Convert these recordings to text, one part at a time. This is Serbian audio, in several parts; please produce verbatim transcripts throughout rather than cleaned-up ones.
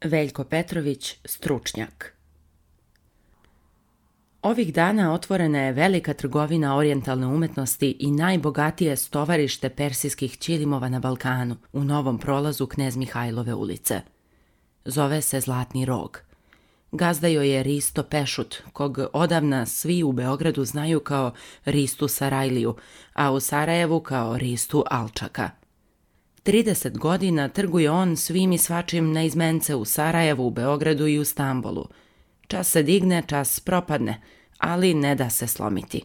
Veljko Petrović, stručnjak. Ovih dana otvorena je velika trgovina orijentalne umetnosti i najbogatije stovarište persijskih ćilimova na Balkanu, u novom prolazu Knez Mihajlove ulice. Zove se Zlatni rog. Gazda joj je Risto Pešut, kog odavna svi u Beogradu znaju kao Ristu Sarajliju, a u Sarajevu kao Ristu Alčaka. trideset godina trguje on svim i svačim na izmence u Sarajevu, u Beogradu i u Stambolu. Čas se digne, čas propadne, ali ne da se slomiti.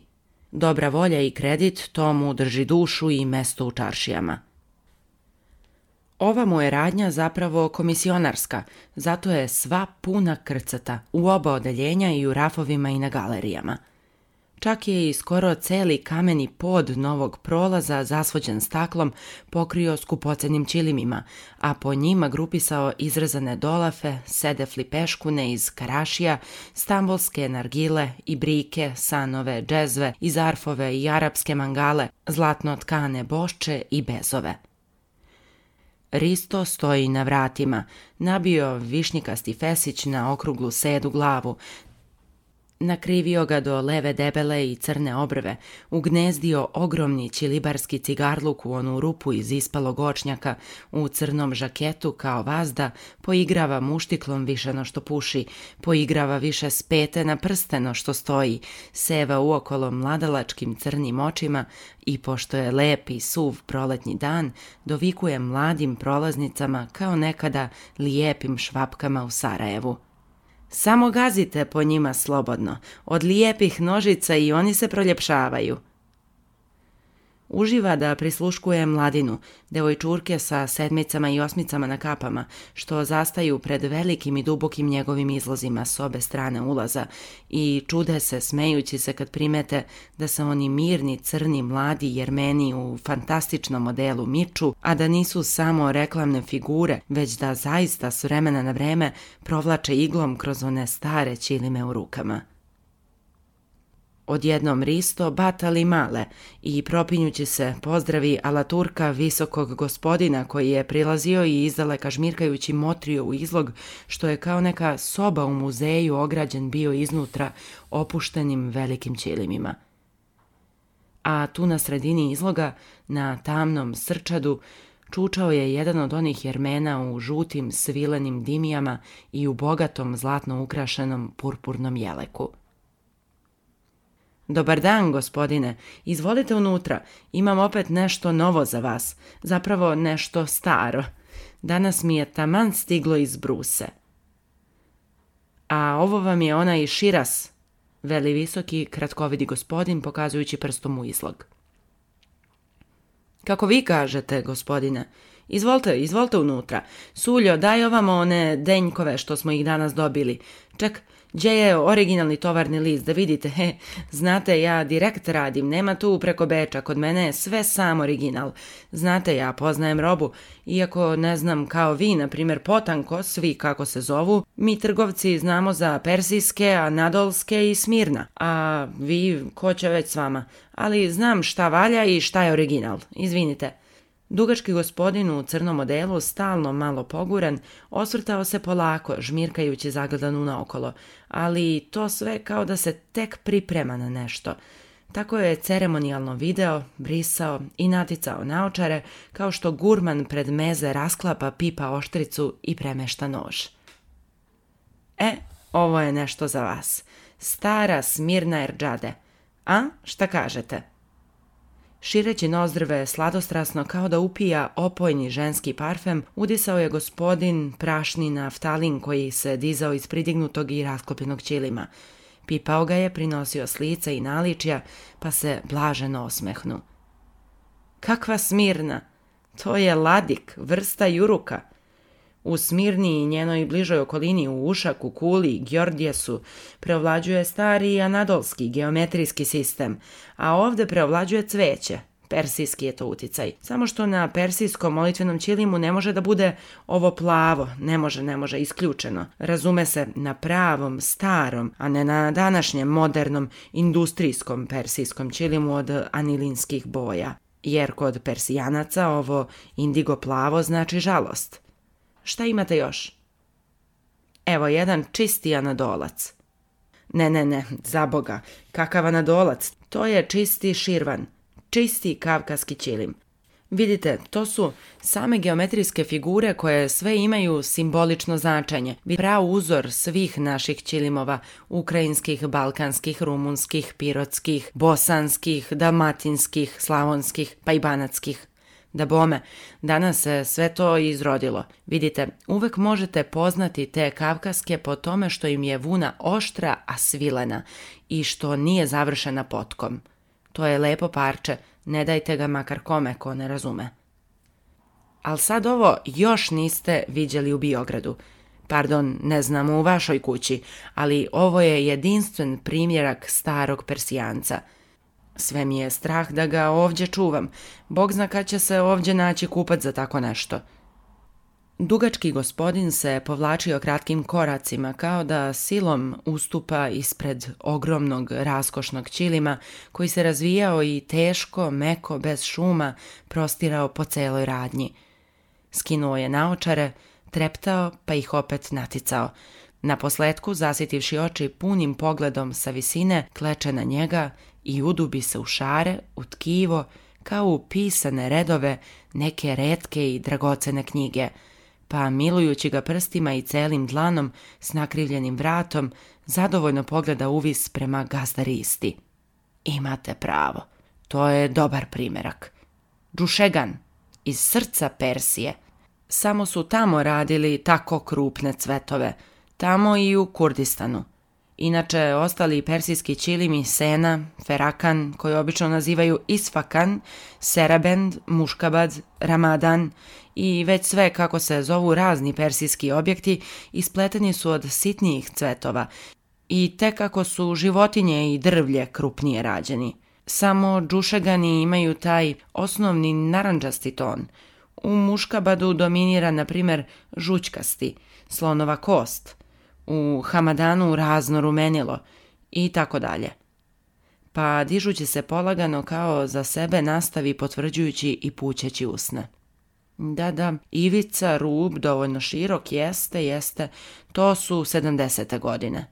Dobra volja i kredit to mu drži dušu i mesto u čaršijama. Ova mu je radnja zapravo komisionarska, zato je sva puna krcata, u oba odeljenja i u rafovima i na galerijama. Čak je i skoro celi kameni pod novog prolaza, zasvođen staklom, pokrio skupocenim ćilimima, a po njima grupisao izrezane dolafe, sedefli peškune iz karašija, stambolske nargile i brike, sanove, džezve, i zarfove i arapske mangale, zlatno tkane bošče i bezove. Risto stoji na vratima, nabio višnjikasti fesić na okruglu sedu glavu, nakrivio ga do leve debele i crne obrve, ugnezdio ogromni ćilibarski cigarluk u onu rupu iz ispalog očnjaka, u crnom žaketu kao vazda, poigrava muštiklom više no što puši, poigrava više spete na prsteno što stoji, seva uokolo mladalačkim crnim očima i, pošto je lep i suv proletnji dan, dovikuje mladim prolaznicama kao nekada lijepim švapkama u Sarajevu. Samo gazite po njima slobodno, od lijepih nožica i oni se proljepšavaju. Uživa da prisluškuje mladinu, devojčurke sa sedmicama i osmicama na kapama, što zastaju pred velikim i dubokim njegovim izlozima s obe strane ulaza i čude se smejući se kad primete da se oni mirni, crni, mladi Jermeni u fantastičnom modelu miču, a da nisu samo reklamne figure, već da zaista s vremena na vreme provlače iglom kroz one stare ćilime u rukama. Odjednom Risto batali male i propinjući se pozdravi alaturka visokog gospodina koji je prilazio i izdaleka žmirkajući motrio u izlog, što je kao neka soba u muzeju ograđen bio iznutra opuštenim velikim ćilimima. A tu na sredini izloga, na tamnom srčadu, čučao je jedan od onih Jermena u žutim svilenim dimijama i u bogatom zlatno ukrašenom purpurnom jeleku. Dobar dan, gospodine, izvolite unutra, imam opet nešto novo za vas, zapravo nešto staro. Danas mi je taman stiglo iz Bruse. A ovo vam je onaj Širas, veli visoki, kratkovidi gospodin, pokazujući prstom u izlog. Kako vi kažete, gospodine, izvolite, izvolite unutra. Suljo, daj ovamo one denjkove što smo ih danas dobili. Ček, gdje je originalni tovarni list, da vidite, he, znate, ja direkt radim, nema tu preko beča, kod mene je sve sam original. Znate, ja poznajem robu, iako ne znam kao vi, na primjer potanko, svi kako se zovu, mi trgovci znamo za persijske, anadolske i Smirna, a vi, ko će već s vama, ali znam šta valja i šta je original, izvinite. Dugački gospodin u crnom modelu, stalno malo poguran, osvrtao se polako, žmirkajući zagledanu naokolo, ali to sve kao da se tek priprema na nešto. Tako je ceremonijalno video, brisao i naticao naočare, kao što gurman pred meze rasklapa pipa oštricu i premešta nož. E, ovo je nešto za vas. Stara Smirna Erdžade. A, šta kažete? Šireći nozdrve sladostrasno kao da upija opojni ženski parfem, udisao je gospodin prašni naftalin koji se dizao iz pridignutog i rasklopljenog ćilima. Pipao ga je, prinosio s lica i naličja, pa se blaženo osmehnu. Kakva Smirna? To je ladik, vrsta juruka. U Smirni i njenoj bližoj okolini u Ušaku, Kuli, Gjordjesu preovlađuje stari anadolski geometrijski sistem, a ovdje preovlađuje cveće. Persijski je to uticaj. Samo što na persijskom molitvenom ćilimu ne može da bude ovo plavo, ne može, ne može, isključeno. Razume se na pravom, starom, a ne na današnjem modernom industrijskom persijskom ćilimu od anilinskih boja. Jer kod Persijanaca ovo indigo plavo znači žalost. Šta imate još? Evo jedan čisti anadolac. Ne, ne, ne, za Boga, kakav anadolac, to je čisti širvan, čisti kavkaski ćilim. Vidite, to su same geometrijske figure koje sve imaju simbolično značenje. Prav uzor svih naših ćilimova, ukrajinskih, balkanskih, rumunskih, pirotskih, bosanskih, dalmatinskih, slavonskih, pa i banatskih. Da bome, danas se sve to izrodilo. Vidite, uvek možete poznati te kavkaske po tome što im je vuna oštra, a svilena i što nije završena potkom. To je lepo parče, ne dajte ga makar kome ko ne razume. Al sad ovo još niste viđali u Biogradu. Pardon, ne znam u vašoj kući, ali ovo je jedinstven primjerak starog Persijanca. Sve mi je strah da ga ovdje čuvam. Bog zna kad će se ovdje naći kupac za tako nešto. Dugački gospodin se povlačio kratkim koracima kao da silom ustupa ispred ogromnog raskošnog ćilima koji se razvijao i teško, meko, bez šuma prostirao po celoj radnji. Skinuo je naočare, treptao pa ih opet naticao. Naposletku, zasitivši oči punim pogledom sa visine, kleče na njega i udubi se u šare, u tkivo, kao u pisane redove neke retke i dragocene knjige, pa milujući ga prstima i celim dlanom s nakrivljenim vratom, zadovoljno pogleda uvis prema gazdaristi. Imate pravo, to je dobar primerak. Džušegan, iz srca Persije. Samo su tamo radili tako krupne cvetove, tamo i u Kurdistanu. Inače, ostali persijski ćilimi Sena, Ferakan, koji obično nazivaju Isfakan, Serabend, Muškabad, Ramadan i već sve kako se zovu razni persijski objekti ispleteni su od sitnijih cvetova i tek kako su životinje i drvlje krupnije rađeni. Samo džušegani imaju taj osnovni narandžasti ton. U Muškabadu dominira, na primjer, žućkasti, slonova kost, u Hamadanu razno rumenilo i tako dalje. Pa dižući se polagano kao za sebe nastavi potvrđujući i pućeći usne. Da, da, ivica, rub, dovoljno širok, jeste, jeste, to su sedamdesete godine.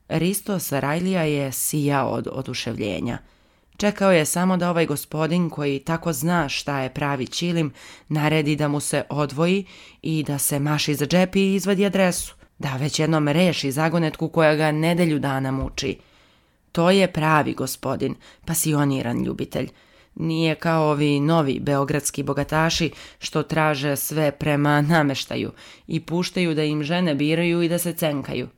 Risto Sarajlija je sijao od oduševljenja. Čekao je samo da ovaj gospodin koji tako zna šta je pravi ćilim naredi da mu se odvoji i da se maši za džep i izvadi adresu, da već jednom reši zagonetku koja ga nedelju dana muči. To je pravi gospodin, pasioniran ljubitelj. Nije kao ovi novi beogradski bogataši što traže sve prema nameštaju i puštaju da im žene biraju i da se cenkaju.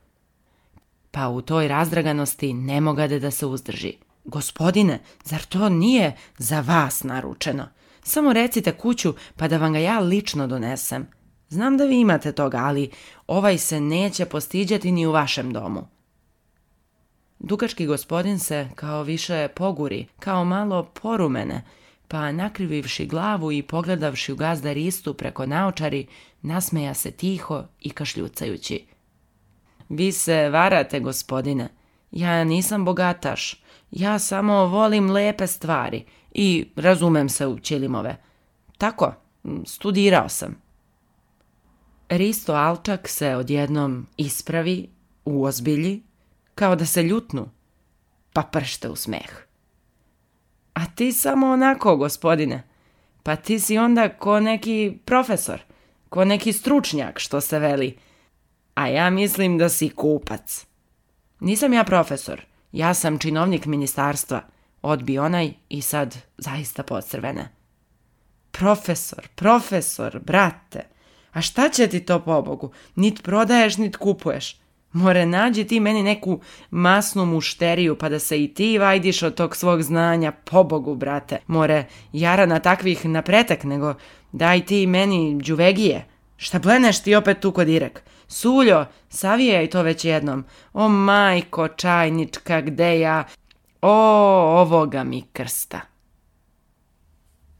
Pa u toj razdraganosti ne mogade da se uzdrži. Gospodine, zar to nije za vas naručeno? Samo recite kuću pa da vam ga ja lično donesem. Znam da vi imate toga, ali ovaj se neće postiđati ni u vašem domu. Dugački gospodin se kao više poguri, kao malo porumene, pa nakrivivši glavu i pogledavši u gazdaristu preko naočari, nasmeja se tiho i kašljucajući. Vi se varate, gospodine. Ja nisam bogataš. Ja samo volim lepe stvari i razumem se u ćilimove. Tako, studirao sam. Risto Alčak se odjednom ispravi, uozbilji, kao da se ljutnu, pa pršte u smeh. A ti samo onako, gospodine. Pa ti si onda ko neki profesor, ko neki stručnjak, što se veli. A ja mislim da si kupac. Nisam ja profesor, ja sam činovnik ministarstva, odbi onaj i sad zaista podcrvene. Profesor, profesor, brate, a šta će ti to pobogu? Nit prodaješ, nit kupuješ. More, nađi ti meni neku masnu mušteriju pa da se i ti vajdiš od tog svog znanja, pobogu, brate. More, jara na takvih napretek, nego daj ti meni đuvegije. Šta bleneš ti opet tu kod Irek? Suljo, savijaj to već jednom. O majko čajnička, gde ja? O, ovoga mi krsta.